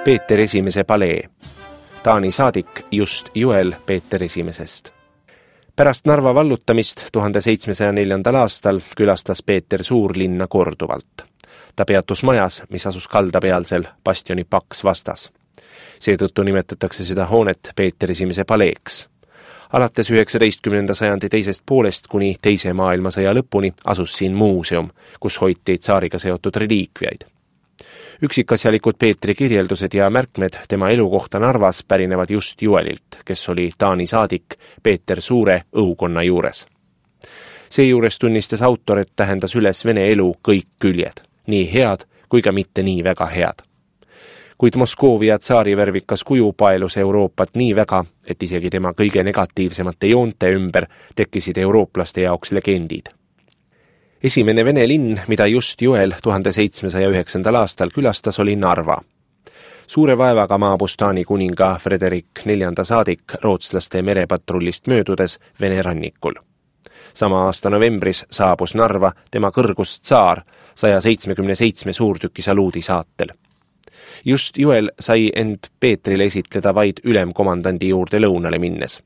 Peeter I palee. Taani saadik Just Juel Peeter I. Pärast Narva vallutamist 1704. aastal külastas Peeter Suurlinna korduvalt. Ta peatus majas, mis asus kaldapealsel bastioni paks vastas. Seetõttu nimetatakse seda hoonet Peeter I paleeks. Alates 19. sajandi teisest poolest kuni teise maailmasõja lõpuni asus siin muuseum, kus hoiti tsaariga seotud reliikviaid. Üksikasjalikud Peetri kirjeldused ja märkmed tema elukohta Narvas pärinevad Just Juelilt, kes oli Taani saadik Peeter Suure õukonna juures. Seejuures tunnistas autor, et tähendas üles Vene elu kõik küljed, nii head kui ka mitte nii väga head. Kuid Moskoovia tsaari värvikas kuju paelus Euroopat nii väga, et isegi tema kõige negatiivsemate joonte ümber tekkisid eurooplaste jaoks legendid. Esimene Vene linn, mida Just Juel 1709. aastal külastas, oli Narva. Suure vaevaga maabus Taani kuninga Frederik IV saadik rootslaste merepatrullist möödudes Vene rannikul. Sama aasta novembris saabus Narva tema kõrgus tsaar 177 suurtüki saluudi saatel. Just Juel sai end Peetrile esitleda vaid ülemkomandandi juurde lõunale minnes.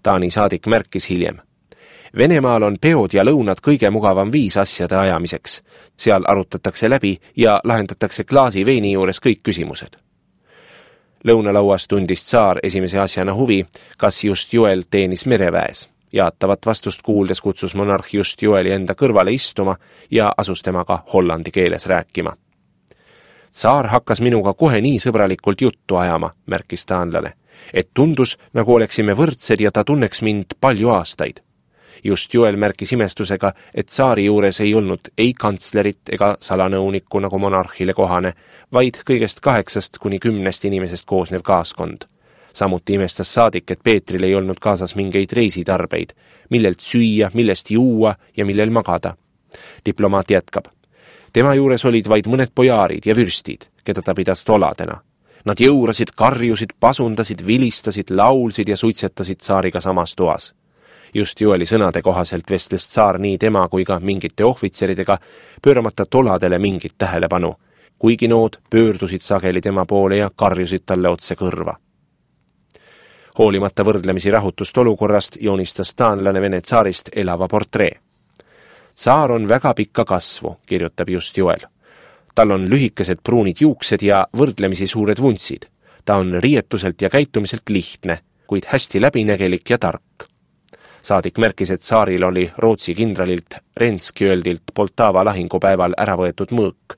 Taani saadik märkis hiljem. Venemaal on peod ja lõunad kõige mugavam viis asjade ajamiseks. Seal arutatakse läbi ja lahendatakse klaasi veini juures kõik küsimused. Lõunalauas tundis tsaar esimese asjana huvi, kas Just Juel teenis mereväes. Jaatavat vastust kuuldes kutsus monarh Just Jueli enda kõrvale istuma ja asus temaga hollandi keeles rääkima. Tsaar hakkas minuga kohe nii sõbralikult juttu ajama, märkis taanlane, et tundus, nagu oleksime võrdsed ja ta tunneks mind palju aastaid. Just Juel märkis imestusega, et tsaari juures ei olnud ei kantslerit ega salanõunikku nagu monarhile kohane, vaid kõigest 8 kuni 10 inimesest koosnev kaaskond. Samuti imestas saadik, et Peetril ei olnud kaasas mingeid reisitarbeid, millelt süüa, millest juua ja millel magada. Diplomaat jätkab. Tema juures olid vaid mõned pojaarid ja vürstid, keda ta pidas toladena. Nad jõurasid, karjusid, pasundasid, vilistasid, laulsid ja suitsetasid tsaariga samas toas. Just Jueli sõnade kohaselt vestles tsaar nii tema kui ka mingite ohvitseridega, pööramata toladele mingit tähelepanu, kuigi nood pöördusid sageli tema poole ja karjusid talle otse kõrva. Hoolimata võrdlemisi rahutust olukorrast joonistas taanlane Vene tsaarist elava portree. Tsaar on väga pikka kasvu, kirjutab Just Juel. Tal on lühikesed pruunid juuksed ja võrdlemisi suured vuntsid. Ta on riietuselt ja käitumiselt lihtne, kuid hästi läbinägelik ja tark. Saadik märkis, et tsaaril oli Rootsi kindralilt Renskjöldilt Poltava lahingupäeval ära võetud mõõk.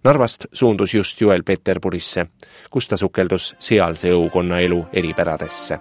Narvast suundus Just Juel Peterburisse, kus ta sukeldus sealse õukonna elu eripäradesse.